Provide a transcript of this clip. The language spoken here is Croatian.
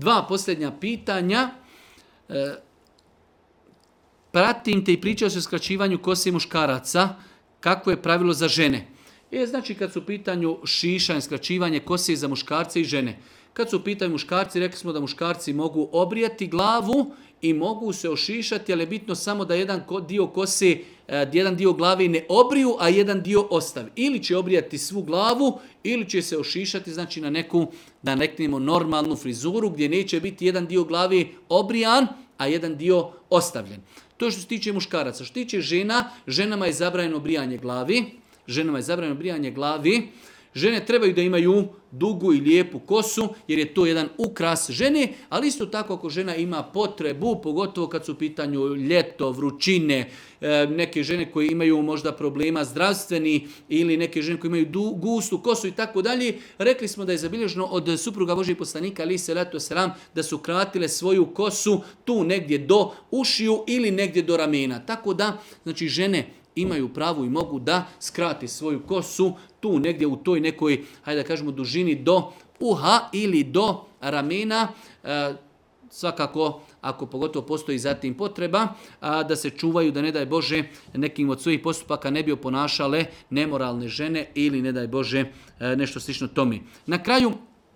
2 posljednja pitanja. Pratim te i pričao se o skraćivanju kose muškaraca. Kako je pravilo za žene? Znači kad su u pitanju šišanje, skraćivanje kose za muškarce i žene. Kad su u pitanju muškarci, rekli smo da muškarci mogu obrijati glavu i mogu se ošišati, ali je bitno samo da jedan dio kose, jedan dio glave ne obriju, a jedan dio ostavi. Ili će obrijati svu glavu, ili će se ošišati, znači na neku, da reknemo, normalnu frizuru, gdje neće biti jedan dio glave obrijan, a jedan dio ostavljen. To što se tiče muškaraca. Što se tiče žena, ženama je zabranjeno brijanje glavi. Žene trebaju da imaju dugu i lijepu kosu, jer je to jedan ukras žene, ali isto tako ako žena ima potrebu, pogotovo kad su u pitanju ljeto, vrućine, neke žene koje imaju možda problema zdravstveni ili neke žene koje imaju gustu kosu i tako dalje, rekli smo da je zabilježeno od supruga Božijeg poslanika ali selatu selam da su kratile svoju kosu tu negdje do ušiju ili negdje do ramena. Tako da, znači žene imaju pravo i mogu da skrati svoju kosu tu negdje u toj nekoj, hajde da kažemo, dužini do uha ili do ramena. Svakako, ako pogotovo postoji zatim potreba, da se čuvaju da ne daj Bože nekim od svojih postupaka ne bi oponašale nemoralne žene ili ne daj Bože nešto slično tome. Na kraju,